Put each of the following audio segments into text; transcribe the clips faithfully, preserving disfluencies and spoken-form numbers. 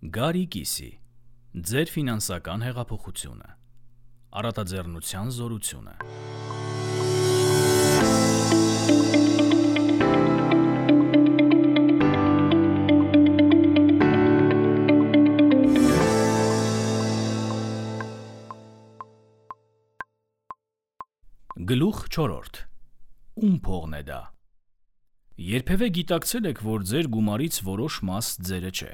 Գարի կիսի, ձեր ֆինանսական հեղափոխությունը, առատաձեռնության զորությունը։ Գլուխ չորրորդ. Ում փողն է դա։ Երբևէ գիտակցել եք, որ ձեր գումարից որոշ մաս ձերը չէ։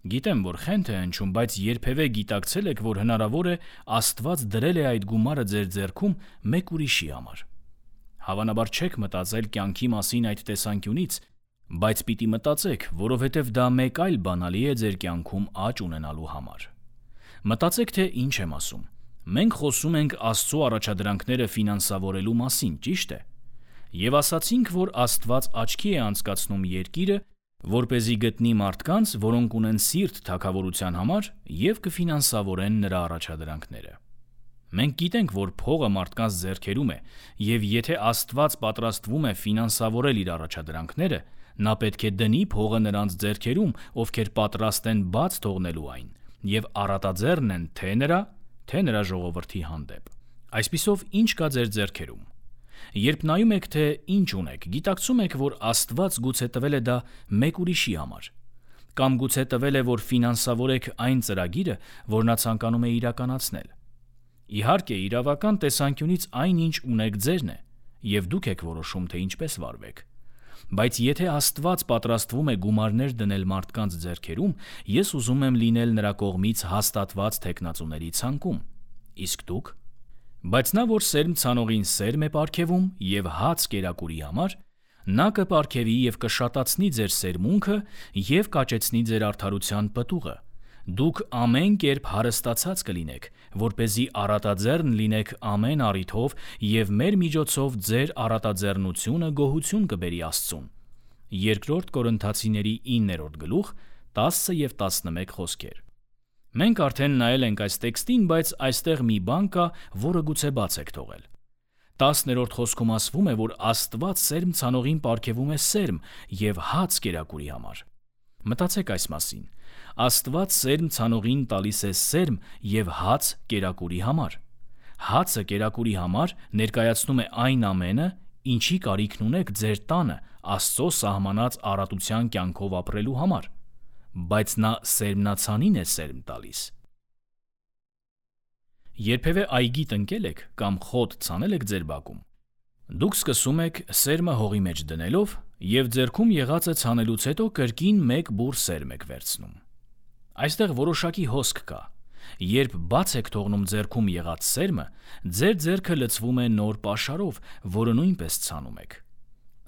Գիտեմ, որ խենթ է հնչում, բայց երբևէ գիտակցել եք, որ հնարավոր է Աստված դրել է այդ գումարը ձեր ձեռքում մեկ ուրիշի համար։ Հավանաբար չեք մտածել կյանքի մասին այդ տեսանկյունից, բայց պիտի մտածեք, որովհետև դա մեկ այլ բանալի է ձեր կյանքում աճ ունենալու համար։ Մտածեք, թե ինչ եմ ասում։ Մենք խոսում ենք Աստծո առաջադրանքները ֆինանսավորելու մասին, ճիշտ է։ Եվ ասացինք, որ Աստված աչքի է անցկացնում երկիրը, որպեսզի գտնի մարդկանց, որոնք ունեն սիրտ թագավորության համար և կֆինանսավորեն նրա առաջադրանքները։ Մենք գիտենք, որ փողը մարդկանց ձեռքերում է, և եթե Աստված պատրաստվում է ֆինանսավորել իր առաջադրանքները, նա պետք է դնի փողը նրանց ձեռքերում, ովքեր պատրաստ են բաց թողնելու այն, և առատաձեռն են թե նրա, թե նրա ժողովրդի հանդեպ։ Այսպիսով, ինչ կա ձեր ձեռքերում։ Երբ նայում եք, թե ինչ ունեք, գիտակցում եք, որ Աստված գուցե տվել է դա մեկ ուրիշի համար, կամ գուցե տվել է, որ ֆինանսավորեք այն ծրագիրը, որ նա ցանկանում է իրականացնել։ Իհարկե, իրավական տեսանկյունից այն, ինչ ունեք, ձերն է, և դուք եք որոշում, թե ինչպես վարվեք։ Բայց եթե Աստված պատրաստվում է գումարներ դնել մարդկանց ձեռքերում, ես ուզում եմ լինել նրա կողմից հաստատված թեկնածուների ցանկում։ Իսկ դուք։ Բայց նա, որ սերմ ցանողին սերմ է պարգևում և հաց կերակուրի համար, նա կպարգևի և կշատացնի ձեր սերմունքը և կաճեցնի ձեր արդարության պտուղը։ Դուք ամեն կերպ հարստացած կլինեք, որպեսզի առատաձեռն լինեք ամեն առիթով և մեր միջոցով ձեր առատաձեռնությունը գոհություն կբերի Աստծուն։ Երկրորդ Կորնթացիների իններորդ գլուխ տասը և տասնմեկ խոսքեր։ Մենք արդեն նայել ենք այս տեքստին, բայց այստեղ մի բան կա, որը գուցե բաց եք թողել։ Տասներորդ խոսքում ասվում է, որ Աստված սերմ ցանողին պարգևում է սերմ և հաց կերակուրի համար։ Մտածեք այս մասին։ Աստված սերմ ցանողին տալիս է սերմ և հաց կերակուրի համար։ Հացը կերակուրի համար ներկայացնում է այն ամենը, ինչի կարիքն ունեք ձեր տանը Աստծո սահմանած առատության կյանքով ապրելու համար։ Բայց նա սերմնացանին է սերմ տալիս։ Երբևէ այգի տնկել եք կամ խոտ ցանել եք ձեր բակում։ Դուք սկսում եք սերմը հողի մեջ դնելով և ձեռքում եղածը ցանելուց հետո կրկին մեկ բուռ սերմ եք վերցնում։ Այստեղ որոշակի հոսք կա։ Երբ բաց եք թողնում ձեռքում եղած սերմը, ձեր ձեռքը լցվում է նոր պաշարով, որը նույնպես ցանում եք։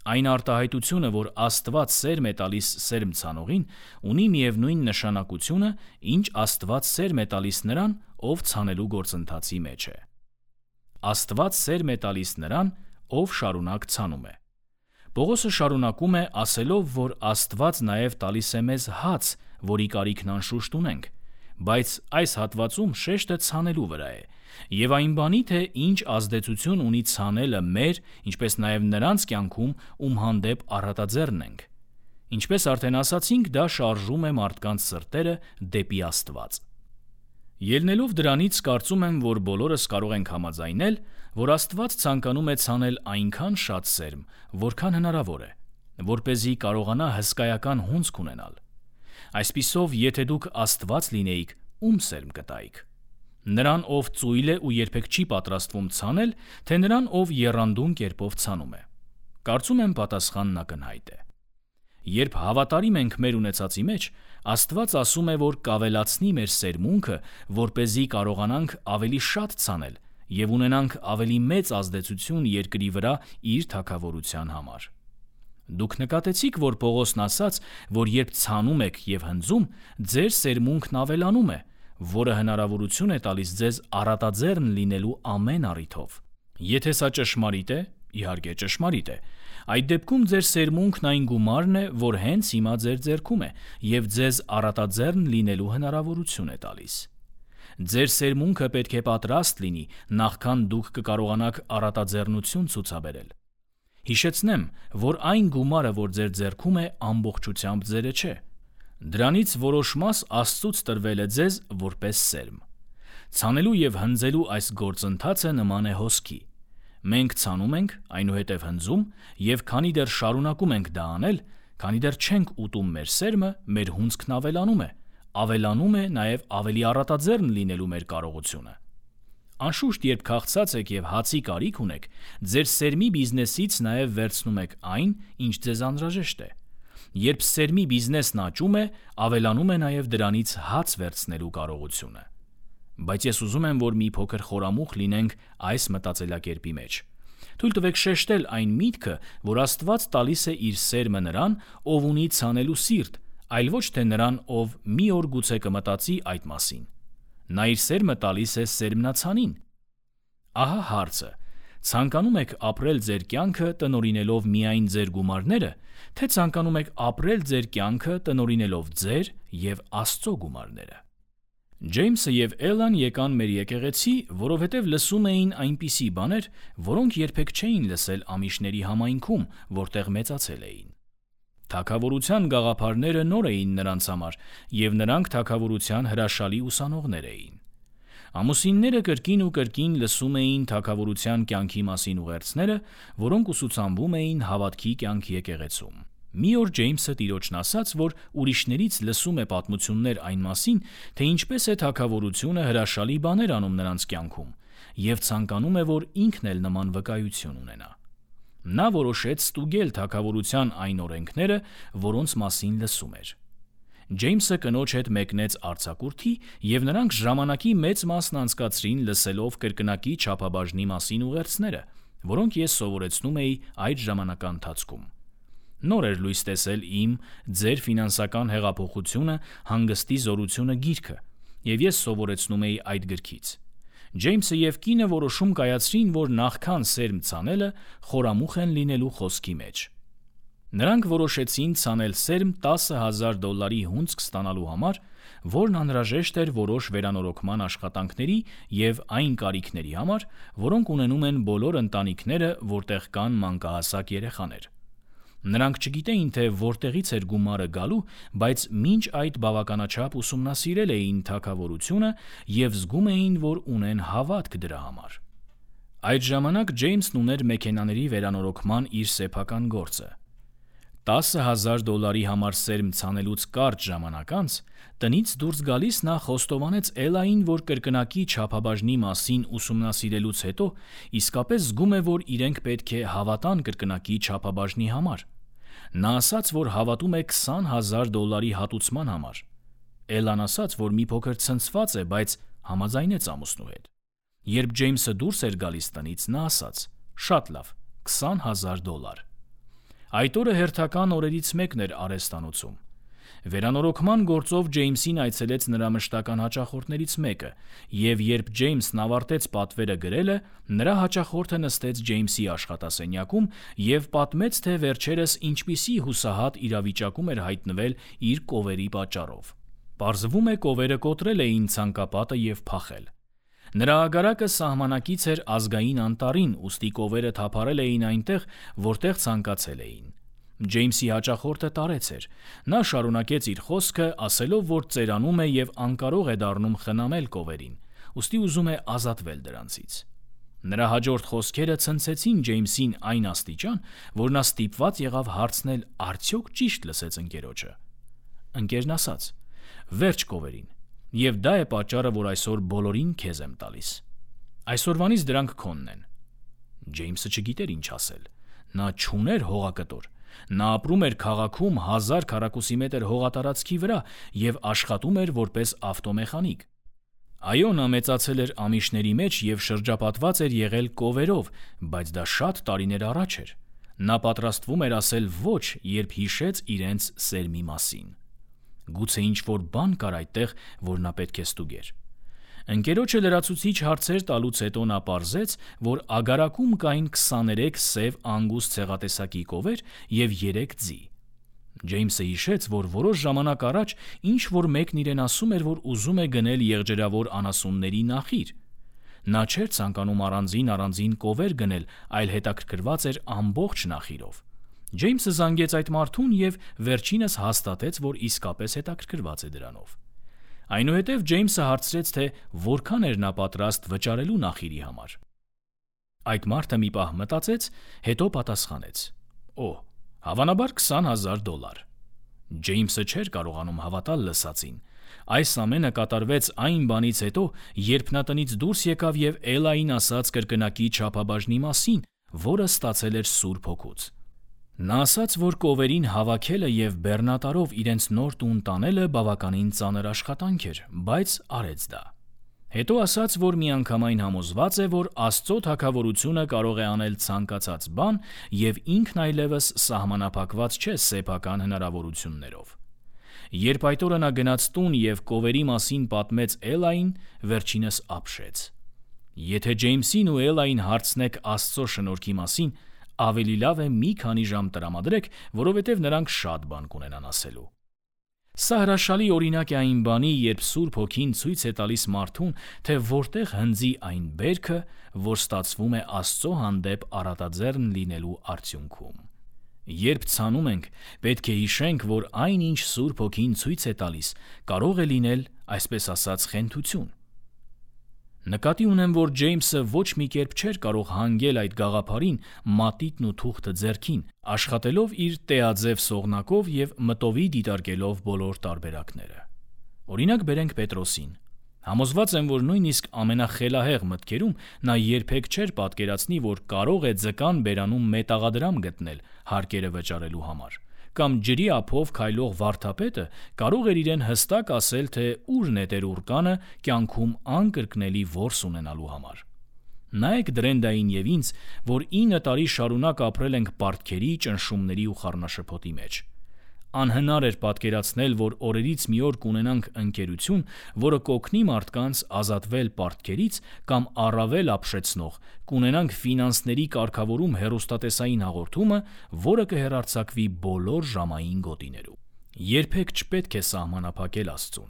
Այն արտահայտությունը, որ Աստված սերմ է տալիս սերմ ցանողին, ունի միևնույն նշանակությունը, ինչ Աստված սերմ է տալիս նրան, ով ցանելու գործընթացի մեջ է։ Աստված սերմ է տալիս նրան, ով շարունակ ցանում է։ Պողոսը շարունակում է ասելով, որ Աստված նաև տալիս է մեզ հաց, որի կարիքն անշուշտ ունենք, բայց այս հատվածում շեշտը ցանելու վրա է, և այն բանի, թե ինչ ազդեցություն ունի ցանելը մեր, ինչպես նաև նրանց կյանքում, ում հանդեպ առատաձեռն ենք։ Ինչպես արդեն ասացինք, դա շարժում է մարդկանց սրտերը դեպի Աստված։ Ելնելով դրանից, կարծում եմ, որ բոլորս կարող ենք համաձայնել, որ Աստված ցանկանում է ցանել այնքան շատ սերմ, որքան հնարավոր է, որպեսզի կարողանա հսկայական հունձք ունենալ։ Այսպիսով, եթե դուք Աստված լինեիք, ում սերմ կտայիք։ Նրան, ով ծույլ է ու երբեք չի պատրաստվում ցանել, թե նրան, ով եռանդուն կերպով ցանում է։ Կարծում եմ պատասխանն ակնհայտ է։ Երբ հավատարիմ ենք մեր ունեցածի մեջ, Աստված ասում է, որ կավելացնի մեր սերմունքը, որպեսզի կարողանանք ավելի շատ ցանել և ունենանք ավելի մեծ ազդեցություն երկրի վրա իր թագավորության համար։ Դուք նկատեցիք, որ Պողոսն ասաց, որ երբ ցանում եք և հնձում, ձեր սերմունքն ավելանում է, որը հնարավորություն է տալիս ձեզ առատաձեռն լինելու ամեն առիթով։ Եթե սա ճշմարիտ է, իհարկե ճշմարիտ է, այդ դեպքում ձեր սերմունքն այն գումարն է, որ հենց հիմա ձեր ձեռքում է և ձեզ առատաձեռն լինելու հնարավորություն է տալիս։ Ձեր սերմունքը պետք է պատրաստ լինի, նախքան դուք կկարողանաք առատաձեռնություն ցուցաբերել։ Հիշեցնեմ, որ այն գումարը, որ ձեր ձեռքում է, ամբողջությամբ ձերը չէ։ Դրանից որոշ մաս Աստծուց տրվել է ձեզ որպես սերմ։ Ցանելու եւ հնձելու այս գործընթացը նման է հոսքի։ Մենք ցանում ենք, այնուհետև հնձում, եւ քանի դեռ շարունակում ենք դա անել, քանի դեռ չենք ուտում մեր սերմը, մեր հունձքն ավելանում է, ավելանում է նաեւ ավելի առատաձեռն լինելու մեր կարողությունը։ Անշուշտ, երբ քաղցած եք եւ հացի կարիք ունեք, ձեր սերմի բիզնեսից նաեւ վերցնում եք այն, ինչ ձեզ անհրաժեշտ է։ Երբ սերմի բիզնեսն աճում է, ավելանում է նաեւ դրանից հաց վերցնելու կարողությունը։ Բայց ես ուզում եմ, որ մի փոքր խորամուխ լինենք այս մտածելակերպի մեջ։ Թույլ տվեք շեշտել այն միտքը, որ Աստված տալիս է իր սերմը նրան, ով ունի ցանելու սիրտ, այլ ոչ թե նրան, ով մի օր գուցե կմտածի այդ մասին։ Նա իր սերմը տալիս է սերմնացանին։ Ահա հարցը. ցանկանում եք ապրել ձեր կյանքը տնօրինելով միայն ձեր գումարները, թե ցանկանում եք ապրել ձեր կյանքը տնօրինելով ձեր եւ Աստծո գումարները։ Ջեյմսը եւ Էլլան եկան մեր եկեղեցի, որովհետեւ լսում էին այնպիսի բաներ, որոնք երբեք չէին լսել ամիշների համայնքում, որտեղ մեծացել էին։ Թագավորության գաղափարները նոր էին նրանց համար, եւ նրանք թագավորության հրաշալի ուսանողներ էին։ Ամուսինները կրկին ու կրկին լսում էին թագավորության կյանքի մասին ուղերձները, որոնք ուսուցանվում էին հավատքի կյանքի եկեղեցում։ Մի օր Ջեյմսը տիրոջն ասաց, որ ուրիշներից լսում է պատմություններ այն մասին, թե ինչպես է թագավորությունը հրաշալի բաներ անում նրանց կյանքում, եւ ցանկանում է, որ ինքն էլ նման վկայություն ունենա։ Նա որոշեց ստուգել թագավորության այն օրենքները, որոնց մասին լսում էր։ Ջեյմսը կնոջ հետ մեկնեց արձակուրդի, եւ նրանք ժամանակի մեծ մասն անցկացրին լսելով կրկնակի չափաբաժնի մասին ուղերձները, որոնք ես սովորեցնում էի այդ ժամանակահատվածում։ Նոր էր լույս տեսել իմ «Ձեր ֆինանսական հեղափոխությունը, հանգստի զորությունը» գիրքը, եւ ես սովորեցնում էի այդ գրքից։ Ջեյմսը եւ կինը որոշում կայացրին, որ նախքան սերմ ցանելը խորամուխ են լինելու խոսքի մեջ։ Նրանք որոշեցին ցանել սերմ տասը հազար դոլարի հունձք ստանալու համար, որն անհրաժեշտ էր որոշ վերանորոգման աշխատանքների եւ այն կարիքների համար, որոնք ունենում են բոլոր ընտանիքները, որտեղ կան մանկահասակ երեխաներ։ Նրանք չգիտեին, թե որտեղից էր գումարը գալու, բայց մինչ այդ բավականաչափ ուսումնասիրել էին թագավորությունը եւ զգում էին, որ ունեն հավատք դրա համար։ Այդ ժամանակ Ջեյմսն ուներ մեքենաների վերանորոգման իր սեփական գործը։ տասը հազար դոլարի համար սերմ ցանելուց կարճ ժամանակ անց տնից դուրս գալիս նա խոստովանեց Էլային, որ կրկնակի չափաբաժնի մասին ուսումնասիրելուց հետո իսկապես զգում է, որ իրենք պետք է հավատան կրկնակի չափաբաժնի համար։ Նա ասաց, որ հավատում է քսան հազար դոլարի հատուցման համար։ Էլլան ասաց, որ մի փոքր ցնցված է, բայց համաձայնեց ամուսնու հետ։ Երբ Ջեյմսը դուրս էր գալիս տնից, նա ասաց. «Շատ լավ, քսան հազար դոլար»։ Այդ օրը հերթական օրերից մեկն էր արհեստանոցում։ Վերանորոգման գործով Ջեյմսին այցելեց նրա մշտական հաճախորդներից մեկը, եւ երբ Ջեյմսն ավարտեց պատվերը գրելը, նրա հաճախորդը նստեց Ջեյմսի աշխատասենյակում եւ պատմեց, թե վերջերս ինչպիսի հուսահատ իրավիճակում էր հայտնվել իր կովերի պատճառով։ Պարզվում է, կովերը կոտրել էին ցանկապատը եւ փախել։ Նրա ագարակը սահմանակից էր ազգային անտառին, ուստի կովերը թափարել էին այնտեղ, որտեղ ցանկացել էին։ Ջեյմսի հաճախորդը տարեց էր։ Նա շարունակեց իր խոսքը, ասելով, որ ծերանում է եւ անկարող է դառնում խնամել կովերին, ուստի ուզում է ազատվել դրանցից։ Նրա հաջորդ խոսքերը ցնցեցին Ջեյմսին այն աստիճան, որ նա ստիպված եղավ հարցնել, արդյոք ճիշտ լսեց ընկերոջը։ Ընկերն ասաց. «Վերջ կովերին, եւ դա է պատճառը, որ այսօր բոլորին քեզ եմ տալիս։ Այսօրվանից դրանք քոնն են»։ Ջեյմսը չգիտեր ինչ ասել։ Նա չուներ հողակտոր։ Նա ապրում էր քաղաքում հազար քառակուսիմետր հողատարածքի վրա եւ աշխատում էր որպես ավտոմեխանիկ։ Այո, նա մեծացել էր ամիշների մեջ եւ շրջապատված էր եղել կովերով, բայց դա շատ տարիներ առաջ էր։ Նա պատրաստվում էր ասել ոչ, երբ հիշեց իրենց սերմի մասին։ Գուցե ինչ-որ բան կար այդտեղ, որ նա պետք է ստուգեր։ Ընկերոջը լրացուցիչ հարցեր տալուց հետո նա պարզեց, որ ագարակում կային քսաներեք սև անգուստ ցեղատեսակի կովեր եւ երեք ձի։ Ջեյմսը հիշեց, որ որոշ ժամանակ առաջ ինչ-որ մեկն իրեն ասում էր, որ ուզում է գնել եղջերավոր անասունների նախիր։ Նա չէր ցանկանում առանձին-առանձին կովեր գնել, այլ հետաքրքրված էր ամբողջ նախիրով։ Ջեյմսը զանգեց այդ մարդուն և վերջինս հաստատեց, որ իսկապես հետաքրքրված է դրանով։ Այնուհետև Ջեյմսը հարցրեց, թե որքան էր նա պատրաստ վճարելու նախիրի համար։ Այդ մարդը մի պահ մտածեց, հետո պատասխանեց. «Օ, հավանաբար քսան հազար դոլար»։ Ջեյմսը չէր կարողանում հավատալ լսածին։ Այս ամենը կատարվեց այն բանից հետո, երբ նա տնից դուրս եկավ և Էլային ասաց կրկնակի չափաբաժնի մասին, որը ստացել էր Սուրբ Հոգուց։ Նա ասաց, որ կովերին հավաքելը և բեռնատարով իրենց նոր տուն տանելը բավականին ծանր աշխատանք էր, բայց արեց դա։ Հետո ասաց, որ միանգամայն համոզված է, որ Աստծո թագավորությունը կարող է անել ցանկացած բան և ինքն այլևս սահմանափակված չէ սեփական հնարավորություններով։ Երբ այդ օրը նա գնաց տուն և կովերի մասին պատմեց Էլային, վերջինս ապշեց։ Եթե Ջեյմսին ու Էլային հարցնեք Աստծո շնորհքի մասին, ավելի լավ է մի քանի ժամ տրամադրեք, որովհետև նրանք շատ բան կունենան ասելու։ Սա հրաշալի օրինակ է այն բանի, երբ Սուրբ Հոգին ցույց է տալիս մարդուն, թե որտեղ հնձի այն բերքը, որ ստացվում է Աստծո հանդեպ առատաձեռն լինելու արդյունքում։ Երբ ցանում ենք, պետք է հիշենք, որ այն, ինչ Սուրբ Հոգին ցույց է տալիս, կարող է լինել, այսպես ասած, խենթություն։ Նկատի ունեմ, որ Ջեյմսը ոչ մի կերպ չէր կարող հանգել այդ գաղափարին մատիտն ու թուղթը ձեռքին, աշխատելով իր տեաձև սողնակով և մտովի դիտարկելով բոլոր տարբերակները։ Օրինակ բերենք Պետրոսին։ Համոզված եմ, որ նույնիսկ ամենախելահեղ մտքերում նա երբեք չէր պատկերացնի, որ կարող է ձկան բերանում մետաղադրամ գտնել հարկերը վճարելու համար, կամ ջրի ափով քայլող վարդապետը կարող էր իրեն հստակ ասել, թե ուր նետեր ուռկանը կյանքում անկրկնելի որս ունենալու համար։ Նայեք Դրենդային և ինձ, որ ինը տարի շարունակ ապրել ենք պարտքերի, ճնշումների ու խառնաշփոթի մեջ։ Անհնար էր պատկերացնել, որ օրերից մի օր կունենանք ընկերություն, որը կօգնի մարդկանց ազատվել պարտքերից, կամ առավել ապշեցնող, կունենանք ֆինանսների կարգավորում հեռուստատեսային հաղորդումը, որը կհեռարձակվի բոլոր ժամային գոտիներում։ Երբեք չպետք է սահմանափակել Աստծուն։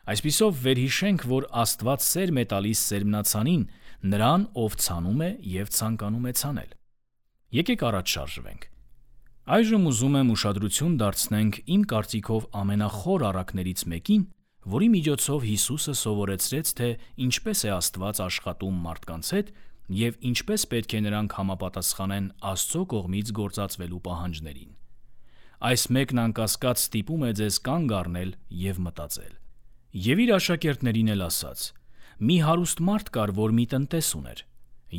Այսպիսով վերհիշենք, որ Աստված սերմ է տալիս սերմնացանին, նրան, ով ցանում է և ցանկանում է ցանել։ Եկեք առաջ շարժվենք։ Այժմ ուզում եմ ուշադրություն դարձնենք իմ կարծիքով ամենախոր առակներից մեկին, որի միջոցով Հիսուսը սովորեցրեց, թե ինչպես է Աստված աշխատում մարդկանց հետ և ինչպես պետք է նրանք համապատասխանեն Աստծո կողմից գործածվելու պահանջներին։ Այս մեկն անկասկած ստիպում է ձեզ կանգ առնել և մտածել։ Եվ իր աշակերտներին էլ ասաց. «Մի հարուստ մարդ կար, որ մի տնտես ուներ,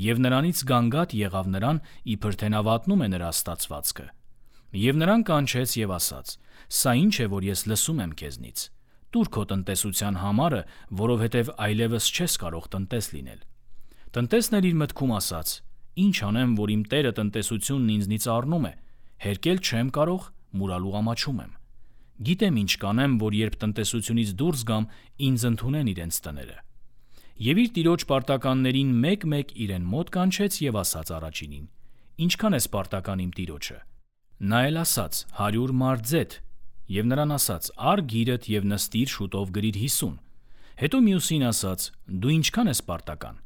և նրանից գանգատ եղավ նրան, իբր թե նա վատնում է նրա ստացվածքը։ Եվ նրան կանչեց և ասաց. «Սա ինչ է, որ ես լսում եմ քեզնից. տուր քո տնտեսության համարը, որովհետև այլևս չես կարող տնտես լինել»։ Տնտեսն էլ իր մտքում ասաց. «Ինչ անեմ, որ իմ տերը տնտեսությունն ինձնից առնում է, հերկել չեմ կարող, մուրալու ամաչում եմ։ Գիտեմ ինչ կանեմ, որ երբ տնտեսությունից դուրս գամ, ինձ ընդունեն իրենց տները»։ Եվ իր տիրոջ պարտականներին մեկ-մեկ իրեն մոտ կանչեց և ասաց առաջինին. «Ինչքան ես պարտական իմ տիրոջը»։ Նա էլ ասաց. «հարյուր մարդ». Եվ նրան ասաց. «Առ գիրդ և նստիր, շուտով գրիր հիսուն»։ Հետո մյուսին ասաց. «Դու ինչքան ես պարտական»։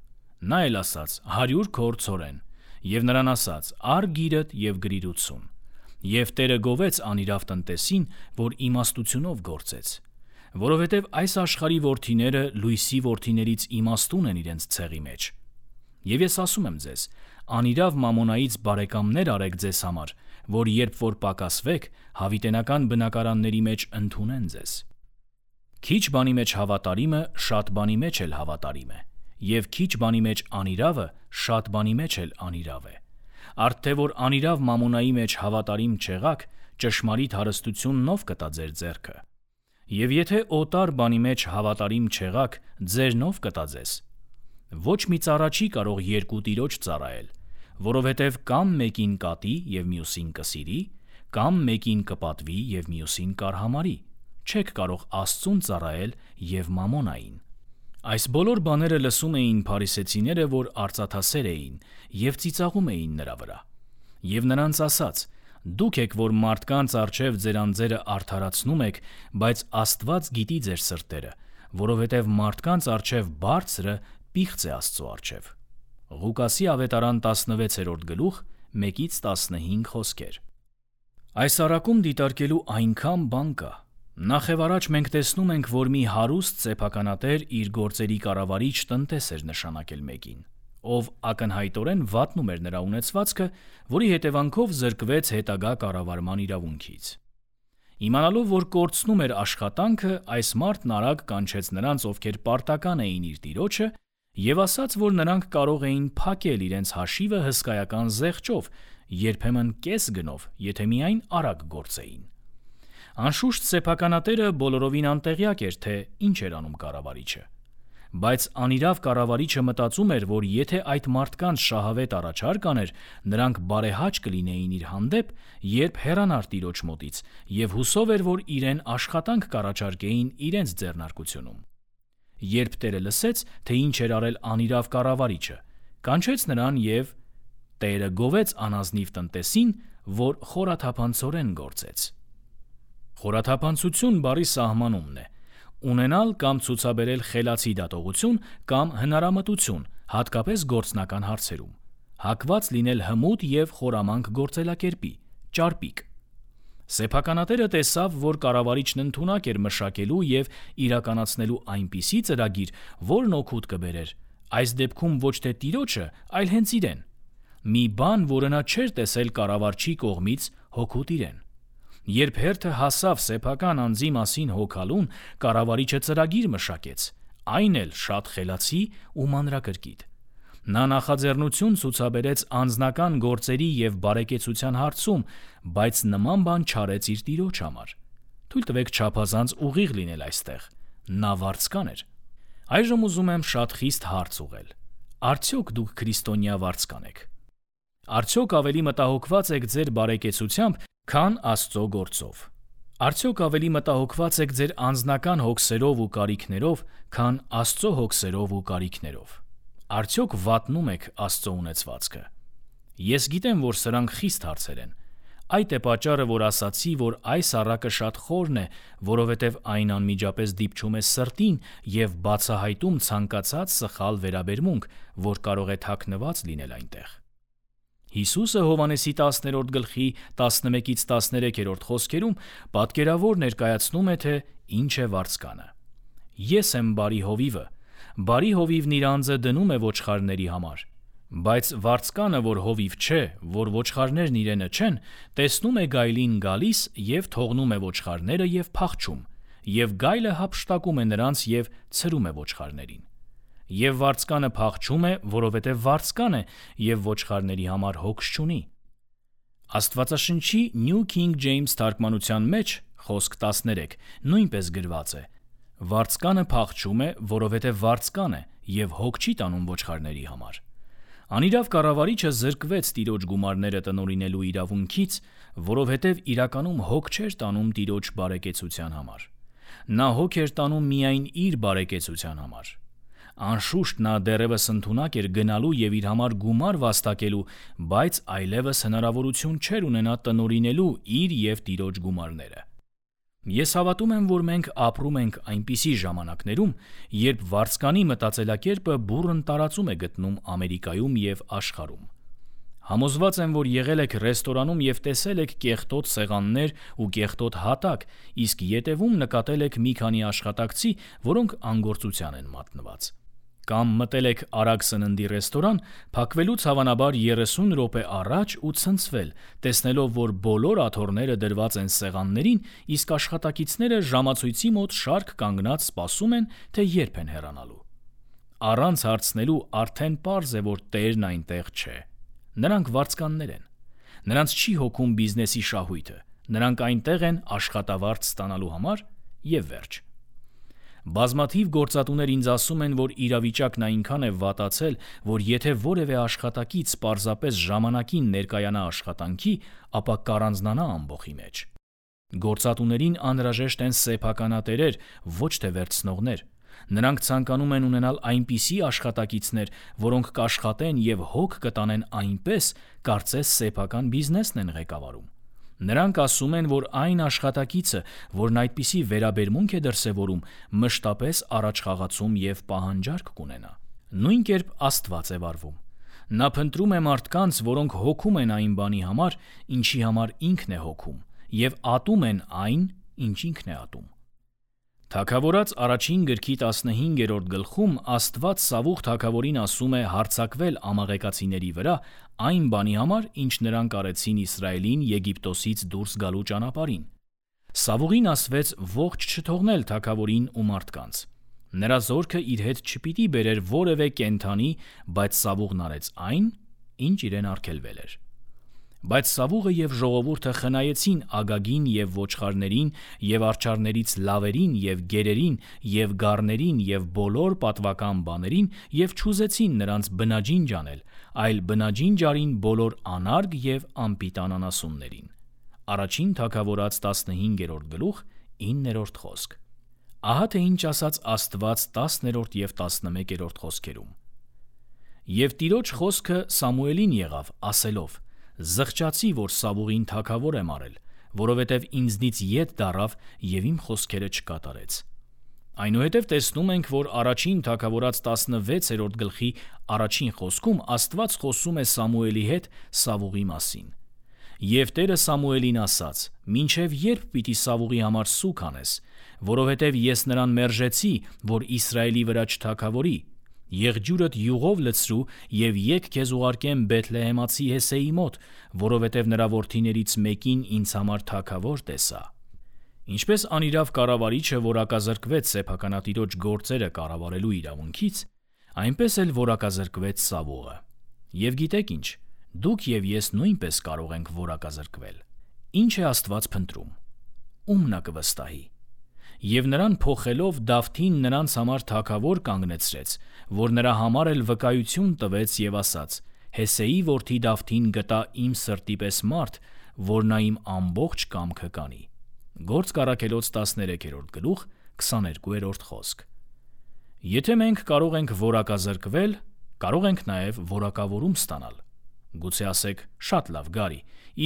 Նա էլ ասաց. «հարյուր քոր ցորեն»։ Եվ նրան ասաց. «Առ գիրդ և գրիր ութսուն»։ Եվ տերը գովեց անիրավ տնտեսին, որ իմաստությունով գործեց։ Որովհետև այս աշխարհի որդիները լույսի որդիներից իմաստուն են իրենց ցեղի մեջ։ Եվ ես ասում եմ ձեզ. անիրավ մամոնայից բարեկամներ արեք ձեզ համար, որ երբ որ պակասվեք, հավիտենական բնակարանների մեջ ընդունեն ձեզ։ Քիչ բանի մեջ հավատարիմը շատ բանի մեջ էլ հավատարիմ է, և քիչ բանի մեջ անիրավը շատ բանի մեջ էլ անիրավ է։ Արդ թե որ անիրավ մամոնայի մեջ հավատարիմ չեղաք, ճշմարիտ հարստությունն ով կտա ձեր ձեռքը։ Եվ եթե օտար բանի մեջ հավատարիմ չեղաք, ձերն ով կտա ձեզ։ Ոչ մի ծառա չի կարող երկու տիրոջ ծառայել, որովհետև կամ մեկին կատի և մյուսին կսիրի, կամ մեկին կպատվի և մյուսին կարհամարի։ Չեք կարող Աստծուն ծառայել և մամոնային։ Այս բոլոր բաները լսում էին փարիսեցիները, որ արծաթասեր էին, և ծիծաղում էին նրա վրա։ Եվ նրանց ասաց. «Դուք եք, որ մարդկանց առջև ձեր անձերը արդարացնում եք, բայց Աստված գիտի ձեր սրտերը, որովհետև մարդկանց առջև բարձրը պիղծ է Աստծո առջև»։ Ղուկասի ավետարան տասնվեցերորդ գլուխ, մեկից տասնհինգ խոսքեր։ Այս առակում դիտարկելու այնքան բան կա։ Նախ եւ առաջ մենք տեսնում ենք, որ մի հարուստ սեփականատեր իր գործերի կառավարիչ տնտես էր նշանակել մեկին, ով ակնհայտորեն վատնում էր նրա ունեցվածքը, որի հետևանքով զրկվեց հետագա կառավարման իրավունքից։ Իմանալով, որ կորցնում էր աշխատանքը, այս մարդն արագ կանչեց նրանց, ովքեր պարտական էին իր տիրոջը, եւ ասաց, որ նրանք կարող էին փակել իրենց հաշիվը հսկայական զեղչով, երբեմն կես գնով, եթե միայն արագ գործեին։ Անշուշտ սեփականատերը բոլորովին անտեղյակ էր, թե ինչ էր անում կառավարիչը, բայց անիրավ կառավարիչը մտածում էր, որ եթե այդ մարդկանց շահավետ առաջարկ աներ, նրանք բարեհաճ կլինեին իր հանդեպ, երբ հեռանար տիրոջ մոտից, եւ հուսով էր, որ իրեն աշխատանք կառաջարկեին իրենց ձեռնարկությունում։ Երբ Տերը լսեց, թե ինչ էր արել անիրավ կառավարիչը, կանչեց նրան եւ Տերը գովեց անազնիվ տնտեսին, որ խորաթափանցորեն գործեց։ Խորաթափանցություն բառի սահմանումն է ունենալ կամ ցուցաբերել խելացի դատողություն կամ հնարամտություն, հատկապես գործնական հարցերում, հակված լինել հմուտ եւ խորամանկ գործելակերպի, ճարպիկ։ Սեփականատերը տեսավ, որ կառավարիչն ընդունակ էր մշակելու եւ իրականացնելու այնպիսի ծրագիր, որն օգուտ կբերեր, այս դեպքում ոչ թե տիրոջը, այլ հենց իրեն։ Մի բան, որը նա չէր տեսել կառավարչի կողմից հօգուտ իրեն։ Երբ հերթը հասավ սեփական անձի մասին հոգալուն, կառավարիչը ծրագիր մշակեց, այն էլ շատ խելացի ու մանրակրկիտ։ Նա նախաձեռնություն ցուցաբերեց անձնական գործերի եւ բարեկեցության հարցում, բայց նման բան չարեց իր տիրոջ համար։ Թույլ տվեք չափազանց ուղիղ լինել այստեղ։ Նա վարձկան էր։ Այժմ ուզում եմ շատ խիստ հարց ուղղել։ Արդյոք դուք քրիստոնյա վարձկան եք։ Արդյոք ավելի մտահոգված եք ձեր բարեկեցությամբ, քան Աստծո գործով։ Արդյոք ավելի մտահոգված եք ձեր անձնական հոգսերով ու կարիքներով, քան Աստծո հոգսերով ու կարիքներով։ Արդյոք վատնում եք Աստծո ունեցվածքը։ Ես գիտեմ, որ սրանք խիստ հարցեր են։ Այդ է պատճառը, որ ասացի, որ այս առակը շատ խորն է, որովհետև այն անմիջապես դիպչում է սրտին եւ բացահայտում ցանկացած սխալ վերաբերմունք, որ կարող է թաքնված լինել այնտեղ։ Հիսուսը Հովհաննեսի տասներորդ գլխի տասնմեկից տասներեքերորդ խոսքերում պատկերավոր ներկայացնում է, թե ինչ է վարձկանը։ Ես եմ բարի հովիվը, բարի հովիվն իր անձը դնում է ոչխարների համար, բայց վարձկանը, որ հովիվ չէ, որ ոչխարներն իրենը չեն, տեսնում է գայլին գալիս եւ թողնում է ոչխարները եւ փախչում, եւ գայլը հափշտակում է նրանց եւ ցրում է ոչխարներին։ Եվ վարձկանը փախչում է, որովհետև վարձկան է եւ ոչխարների համար հոգս չունի։ Աստվածաշնչի New King James թարգմանության մեջ խոսք տասներեք նույնպես գրված է. Վարձկանը փախչում է, որովհետև վարձկան է եւ հոգ չի տանում ոչխարների համար։ Անիրավ կառավարիչը զրկվեց տիրոջ գումարները տնօրինելու իրավունքից, որովհետև իրականում հոգ չէր տանում տիրոջ բարեկեցության համար։ Նա հոգ էր տանում միայն իր բարեկեցության համար։ Անշուշտ նա դեռևս ընդունակ էր գնալու եւ իր համար գումար վաստակելու, բայց այլևս հնարավորություն չէր ունենա տնօրինելու իր եւ տիրոջ գումարները։ Ես հավատում եմ, որ մենք ապրում ենք այնպիսի ժամանակներում, երբ վարձկանի մտածելակերպը բուռն տարածում է գտնում Ամերիկայում եւ աշխարհում։ Համոզված եմ, որ եղել եք ռեստորանում եւ տեսել եք կեղտոտ սեղաններ ու կեղտոտ հատակ, իսկ ետևում նկատել եք մի քանի աշխատակցի, որոնք անգործության են մատնված։ Կամ մտել եք արագ սննդի ռեստորան, փակվելուց հավանաբար երեսուն րոպե առաջ ու ցնցվել, տեսնելով, որ բոլոր աթոռները դրված են սեղաններին, իսկ աշխատակիցները ժամացույցի մոտ շարք կանգնած սպասում են, թե երբ են հեռանալու։ Առանց հարցնելու արդեն պարզ է, որ Տերն այնտեղ չէ։ Նրանք վարձկաններ են։ Նրանց չի հոգում բիզնեսի շահույթը։ Նրանք այնտեղ են աշխատավարձ ստանալու համար եւ վերջ։ Բազմաթիվ գործատուներ ինձ ասում են, որ իրավիճակն այնքան է վատացել, որ եթե որևէ աշխատակից պարզապես ժամանակին ներկայանա աշխատանքի, ապա կառանձնանա ամբոխի մեջ։ Գործատուներին անհրաժեշտ են սեփականատերեր, ոչ թե վերցնողներ։ Նրանք ցանկանում են ունենալ այնպիսի աշխատակիցներ, որոնք կաշխատեն եւ հոգ կտանեն այնպես, կարծես սեփական բիզնեսն են ղեկավարում։ Նրանք ասում են, որ այն աշխատակիցը, որն այդպիսի վերաբերմունք է դրսևորում, մշտապես առաջխաղացում եւ պահանջարկ կունենա։ Նույն կերպ Աստված է վարվում։ Նա փնտրում է մարդկանց, որոնք հոգում են այն բանի համար, ինչի համար ինքն է հոգում, և ատում են այն, ինչ ինքն է ատում։ Թագավորաց առաջին գրքի տասնհինգերորդ գլխում Աստված Սավուղ թագավորին ասում է հարձակվել ամաղեկացիների վրա այն բանի համար, ինչ նրանք արեցին Իսրայելին Եգիպտոսից դուրս գալու ճանապարհին։ Սավուղին ասվեց ողջ չթողնել թագավորին ու մարդկանց։ Նրա զորքը իր հետ չպիտի բերեր որևէ կենդանի, բայց Սավուղն արեց այն, ինչ իրեն արգելվել էր։ Բայց Սավուղը և ժողովուրդը խնայեցին Ագագին և ոչխարներին և արջառներից լավերին և գերերին և գառներին և բոլոր պատվական բաներին և չուզեցին նրանց բնաջինջ անել, այլ բնաջինջ արին բոլոր անարգ և անպիտան անասուններին։ Առաջին Թագավորաց տասնհինգերորդ գլուխ իններորդ խոսք։ Ահա թե ինչ ասաց Աստված տասներորդ և տասնմեկերորդ խոսքերում։ Եվ Տիրոջ խոսքը Սամուելին եղավ, ասելով. «Զղջացի, որ Սավուղին թագավոր եմ արել, որովհետև ինձնից ետ դառավ և իմ խոսքերը չկատարեց»։ Այնուհետև տեսնում ենք, որ առաջին Թագավորաց տասնվեցերորդ գլխի առաջին խոսքում Աստված խոսում է Սամուելի հետ Սավուղի մասին։ Եվ Տերը Սամուելին ասաց. «Մինչև ե՞րբ պիտի Սավուղի համար սուգ անես, որովհետև ես նրան մերժեցի, որ Իսրայելի վրա չթագավորի։ Եղջյուրդ յուղով լցրու և եկ քեզ ուղարկեմ Բեթլեհեմացի Հեսեի մոտ, որովհետև նրա որդիներից մեկին ինձ համար թագավոր տեսա»։ Ինչպես անիրավ կառավարիչը որակազրկվեց սեփականատիրոջ գործերը կառավարելու իրավունքից, այնպես էլ որակազրկվեց Սավուղը։ Եվ գիտեք ինչ, դուք և ես նույնպես կարող ենք որակազրկվել։ Ինչ է Աստված փնտրում։ Ում նա կվստահի։ Եվ նրան փոխելով Դավթին նրանց համար թագավոր կանգնեցրեց, որ նրա համար էլ վկայություն տվեց և ասաց. «Հեսեի որդի Դավթին գտա իմ սրտի պես մարդ, որ նա իմ ամբողջ կամքը կանի»։ Գործք առաքելոց տասներեքերորդ գլուխ քսաներկուերորդ խոսք։ Եթե մենք կարող ենք որակազրկվել, կարող ենք նաև որակավորում ստանալ։ Գուցե ասեք. «Շատ լավ, Գարի,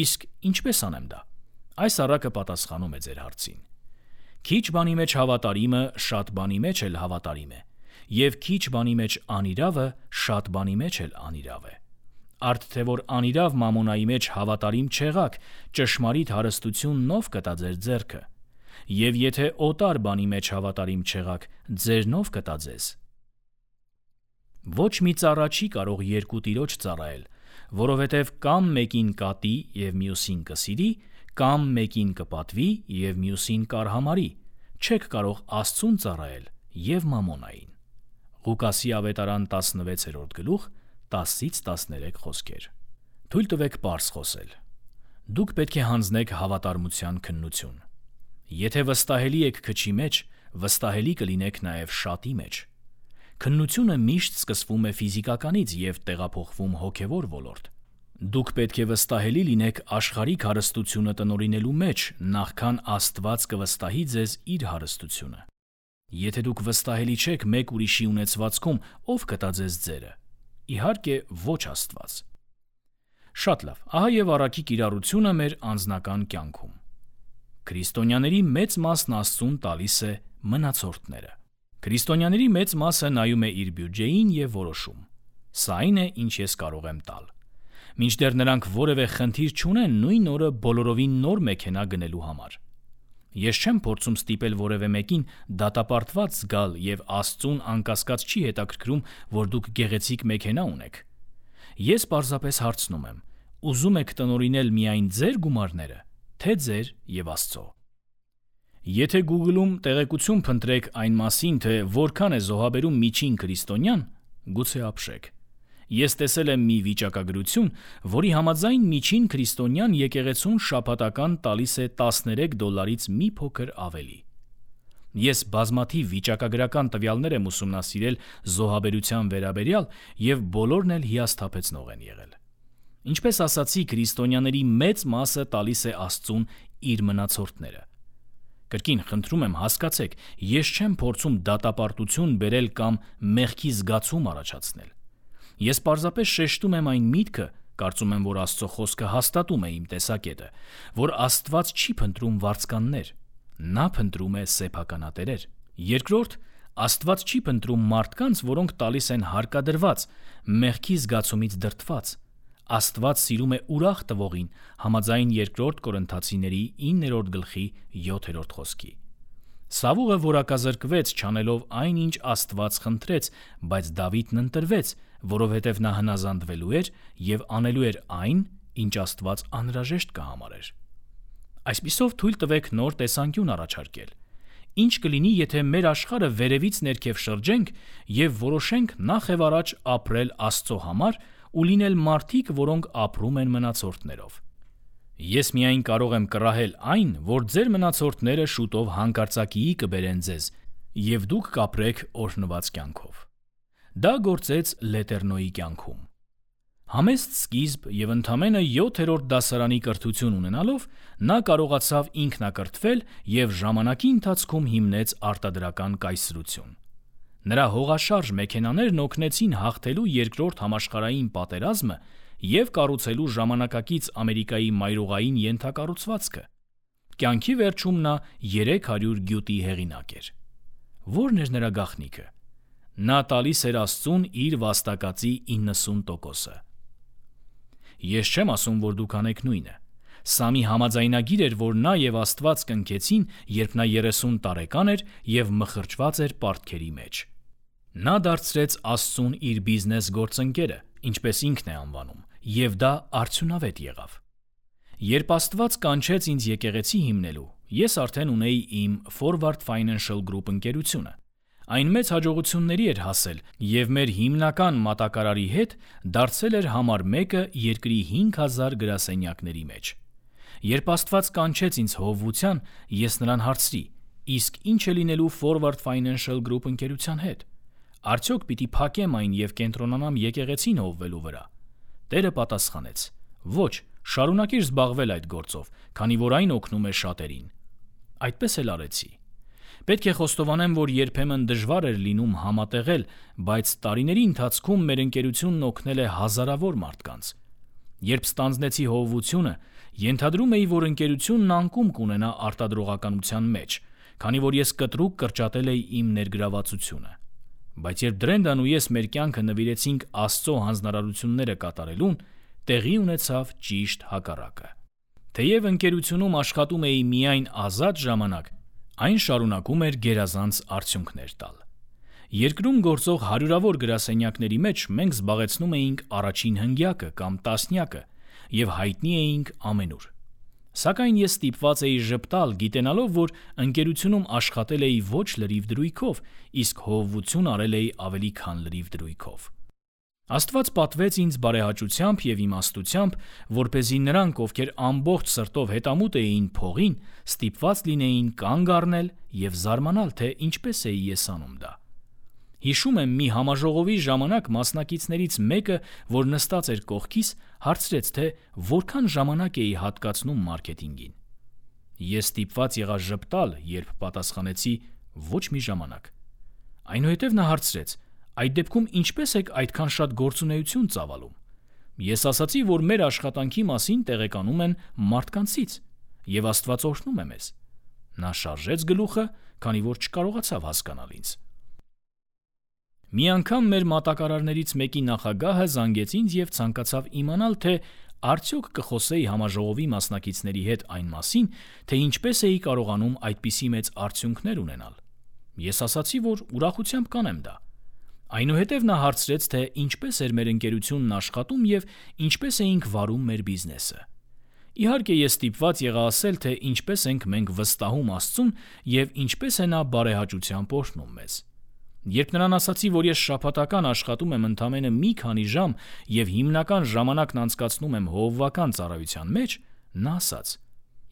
իսկ ինչպես անեմ դա»։ Այս առակը պատասխանում է ձեր հարցին։ Քիչ բանի մեջ հավատարիմը շատ բանի մեջ էլ հավատարիմ է, և քիչ բանի մեջ անիրավը շատ բանի մեջ էլ անիրավ է։ Արդ թե որ անիրավ մամոնայի մեջ հավատարիմ չեղաք, ճշմարիտ հարստությունն ով կտա ձեր ձեռքը։ Եվ եթե օտար բանի մեջ հավատարիմ չեղաք, ձերն ով կտա ձեզ։ Ոչ մի ծառա չի կարող երկու տիրոջ ծառայել, որովհետև կամ մեկին կատի և մյուսին կսիրի, կամ մեկին կպատվի և մյուսին կարհամարի, չեք կարող Աստծուն ծառայել և մամոնային։ Ղուկասի ավետարան տասնվեցերորդ գլուխ տասից տասներեք խոսքեր։ Թույլ տվեք պարզ խոսել։ Դուք պետք է հանձնեք հավատարմության քննություն։ Եթե վստահելի եք քչի մեջ, վստահելի կլինեք նաև շատի մեջ։ Քննությունը միշտ սկսվում է ֆիզիկականից և տեղափոխվում հոգևոր ոլորտ։ Դուք պետք է վստահելի լինեք աշխարհիկ հարստությունը տնօրինելու մեջ, նախքան Աստված կվստահի ձեզ իր հարստությունը։ Եթե դուք վստահելի չեք մեկ ուրիշի ունեցվածքում, ով կտա ձեզ ձերը։ Իհարկե, ոչ Աստված։ Շատ լավ, ահա և առակի կիրառությունը մեր անձնական կյանքում։ Քրիստոնյաների մեծ մասն Աստծուն տալիս է մնացորդները։ Քրիստոնյաների մեծ մասը նայում է իր բյուջեին և որոշում. «Սա այն է, ինչ ես կարող եմ տալ»։ Մինչդեռ նրանք որևէ խնդիր չունեն նույն օրը բոլորովին նոր մեքենա գնելու համար։ Ես չեմ փորձում ստիպել որևէ մեկին դատապարտված զգալ և Աստծուն անկասկած չի հետաքրքրում, որ դուք գեղեցիկ մեքենա ունեք։ Ես պարզապես հարցնում եմ. ուզում եք տնօրինել միայն ձեր գումարները, թե ձեր և Աստծո։ Եթե Google-ում տեղեկություն փնտրեք այն մասին, թե որքան է զոհաբերում միջին քրիստոնյան, գուցե ապշեք։ Ես տեսել եմ մի վիճակագրություն, որի համաձայն միջին քրիստոնյան եկեղեցուն շաբաթական տալիս է տասներեք դոլարից մի փոքր ավելի։ Ես բազմաթիվ վիճակագրական տվյալներ եմ ուսումնասիրել զոհաբերության վերաբերյալ և բոլորն էլ հիասթափեցնող են եղել։ Ինչպես ասացի, քրիստոնյաների մեծ մասը տալիս է Աստծուն իր մնացորդները։ Կրկին խնդրում եմ հասկացեք, ես չեմ փորձում դատապարտություն բերել կամ մեղքի զգացում առաջացնել։ Ես պարզապես շեշտում եմ այն միտքը, կարծում եմ, որ Աստծո խոսքը հաստատում է իմ տեսակետը, որ Աստված չի փնտրում վարձկաններ, նա փնտրում է սեփականատերեր։ Երկրորդ, Աստված չի փնտրում մարդկանց, որոնք տալիս են հարկադրված, մեղքի զգացումից դրդված։ Աստված սիրում է ուրախ տվողին, համաձայն երկրորդ Կորինթացիների իններորդ գլխի յոթերորդ խոսքի։ Սավուղը որակազրկվեց, չանելով այն, ինչ Աստված խնդրեց, բայց Դավիթն ընտրվեց, որովհետև նա հնազանդվելու էր և անելու էր այն, ինչ Աստված անհրաժեշտ կհամարեր։ Այսպիսով թույլ տվեք նոր տեսանկյուն առաջարկել։ Ինչ կլինի, եթե մեր աշխարհը վերևից ներքև շրջենք և որոշենք նախ և առաջ ապրել Աստծո համար ու լինել մարդիկ, որոնք ապրում են մնացորդներով։ Ես միայն կարող եմ կռահել այն, որ ձեր մնացորդները շուտով հանկարծակիի կբերեն ձեզ, և դուք կապրեք օրհնված կյանքով։ Դա գործեց Լետեռնոյի կյանքում։ Համեստ սկիզբ և ընդամենը յոթերորդ դասարանի կրթություն ունենալով նա կարողացավ ինքնակրթվել և ժամանակի ընթացքում հիմնեց արտադրական կայսրություն։ Նրա հողաշարժ մեքենաներն օգնեցին հաղթելու Երկրորդ համաշխարհային պատերազմը և կառուցելու ժամանակակից Ամերիկայի մայրուղային ենթակառուցվածքը։ Կյանքի վերջում նա երեք հարյուր գյուտի հեղինակ էր։ Ո՞րն էր նրա գաղտնիքը։ Նա տալիս էր Աստծուն իր վաստակածի իննսուն տոկոսը։ Ես չեմ ասում, որ դուք անեք նույնը։ Սա մի համաձայնագիր էր, որ նա և Աստված կնքեցին, երբ նա երեսուն տարեկան էր և մխրճված էր պարտքերի մեջ։ Նա դարձրեց Աստծուն իր բիզնես գործընկերը, ինչպես ինքն է անվանում, և դա արդյունավետ եղավ։ Երբ Աստված կանչեց ինձ եկեղեցի հիմնելու, ես արդեն ունեի իմ Forward Financial Group ընկերությունը։ Այն մեծ հաջողությունների էր հասել և մեր հիմնական մատակարարի հետ դարձել էր համար մեկը երկրի հինգ հազար գրասենյակների մեջ։ Երբ Աստված կանչեց ինձ հովվության, ես նրան հարցրի. իսկ ի՞նչ է լինելու Forward Financial Group ընկերության հետ։ Արդյոք պիտի փակեմ այն և կենտրոնանամ եկեղեցին հովվելու վրա։ Տերը պատասխանեց. ոչ, շարունակիր զբաղվել այդ գործով, քանի որ այն օգնում է շատերին։ Այդպես էլ արեցի։ Պետք է խոստովանեմ, որ երբեմն դժվար էր լինում համատեղել, բայց տարիների ընթացքում մեր ընկերությունն օգնել է հազարավոր մարդկանց։ Երբ ստանձնեցի հովվությունը, ենթադրում էի, որ ընկերությունն անկում կունենա արտադրողականության մեջ, քանի որ ես կտրուկ կրճատել էի իմ ներգրավվածությունը։ Բայց երբ Դրենդան ու ես մեր կյանքը նվիրեցինք Աստծո հանձնարարությունները կատարելուն, տեղի ունեցավ ճիշտ հակառակը։ Թեև ընկերությունում աշխատում էի միայն ազատ ժամանակ, այն շարունակում էր գերազանց արդյունքներ տալ։ Երկրում գործող հարյուրավոր գրասենյակների մեջ մենք զբաղեցնում էինք առաջին հնգյակը կամ տասնյակը և հայտնի էինք ամենուր։ Սակայն ես ստիպված էի ժպտալ, գիտենալով, որ ընկերությունում աշխատել էի ոչ լրիվ դրույքով, իսկ հովվություն արել էի ավելի քան լրիվ դրույքով։ Աստված պատվեց ինձ բարեհաճությամբ և իմաստությամբ, որպեսզի նրանք, ովքեր ամբողջ սրտով հետամուտ էին փողին, ստիպված լինեին կանգ առնել և զարմանալ, թե ինչպես էի ես անում դա։ Հիշում եմ, մի համաժողովի ժամանակ մասնակիցներից մեկը, որ նստած էր կողքիս, հարցրեց, թե որքան ժամանակ էի հատկացնում մարքեթինգին։ Ես ստիպված եղա ժպտալ, երբ պատասխանեցի ոչ մի ժամանակ։ Այնուհետև նա հարցրեց. այդ դեպքում ինչպես եք այդքան շատ գործունեություն ծավալում։ Ես ասացի, որ մեր աշխատանքի մասին տեղեկանում են մարդկանցից, և Աստված օրհնում է մեզ։ Նա շարժեց գլուխը, քանի որ չկարողացավ հասկանալ ինձ։ Մի անգամ մեր մատակարարներից մեկի նախագահը զանգեց ինձ և ցանկացավ իմանալ, թե արդյոք կխոսեի համաժողովի մասնակիցների հետ այն մասին, թե ինչպես էի կարողանում այդպիսի մեծ արդյունքներ ունենալ։ Ես ասացի, որ ուրախությամբ կանեմ դա։ Այնուհետև նա հարցրեց, թե ինչպես էր մեր ընկերությունն աշխատում և ինչպես էինք վարում մեր բիզնեսը։ Իհարկե, ես ստիպված եղա ասել, թե ինչպես ենք մենք վստահում Աստծուն և ինչպես է նա բարեհաճությամբ օրհնում մեզ։ Երբ նրան ասացի, որ ես շաբաթական աշխատում եմ ընդամենը մի քանի ժամ և հիմնական ժամանակն անցկացնում եմ հովվական ծառայության մեջ, նա ասաց.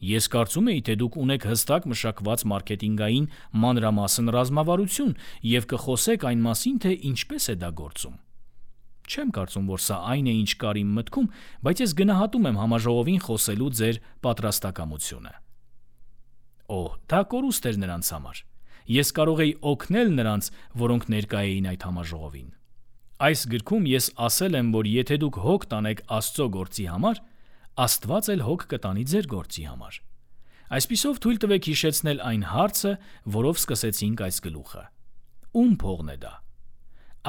ես կարծում էի, թե դուք ունեք հստակ մշակված մարքեթինգային մանրամասն ռազմավարություն և կխոսեք այն մասին, թե ինչպես է դա գործում։ Չեմ կարծում, որ սա այն է, ինչ կար իմ մտքում, բայց ես գնահատում եմ համաժողովին խոսելու ձեր պատրաստակամությունը։ Օհ, դա կորուստ էր նրանց համար։ Ես կարող էի օգնել նրանց, որոնք ներկա էին այդ համաժողովին։ Այս գրքում ես ասել եմ, որ եթե դուք հոգ տանեք Աստծո գործի համար, Աստված էլ հոգ կտանի ձեր գործի համար։ Այսպիսով թույլ տվեք հիշեցնել այն հարցը, որով սկսեցինք այս գլուխը։ ում փողն է դա։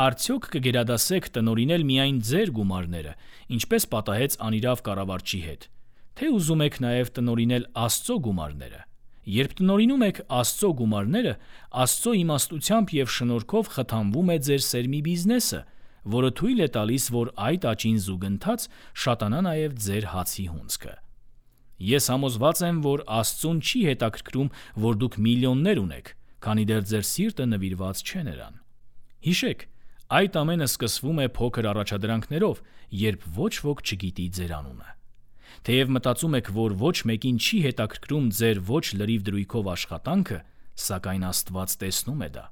Արդյոք կգերադասեք տնօրինել միայն ձեր գումարները, ինչպես պատահեց անիրավ կառավարչի հետ, թե ուզում եք նաև տնօրինել Աստծո գումարները։ Երբ տնօրինում եք Աստծո գումարները, Աստծո իմաստությամբ և շնորհքով խթանվում է ձեր սերմի բիզնեսը, որը թույլ է տալիս, որ այդ աճին զուգընթաց շատանա նաև ձեր հացի հունձքը։ Ես համոզված եմ, որ Աստծուն չի հետաքրքրում, որ դուք միլիոններ ունեք, քանի դեռ ձեր սիրտը նվիրված չէ նրան։ Հիշեք, այդ ամենը սկսվում է փոքր առաջադրանքներով, երբ ոչ ոք չգիտի ձեր անունը։ Թեև մտածում եք, որ ոչ մեկին չի հետաքրքրում ձեր ոչ լրիվ դրույքով աշխատանքը, սակայն Աստված տեսնում է դա։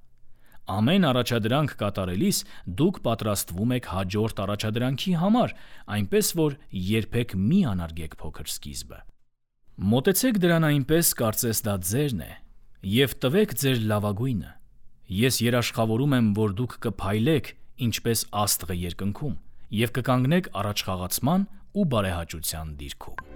Ամեն առաջադրանք կատարելիս դուք պատրաստվում եք հաջորդ առաջադրանքի համար, այնպես որ երբեք մի անարգեք փոքր սկիզբը։ Մոտեցեք դրան այնպես, կարծես դա ձերն է, և տվեք ձեր լավագույնը։ Ես երաշխավորում եմ, որ դուք կփայլեք, ինչպես աստղը երկնքում, և կկանգնեք առաջխաղացման ու բարեհաճության դիրքում։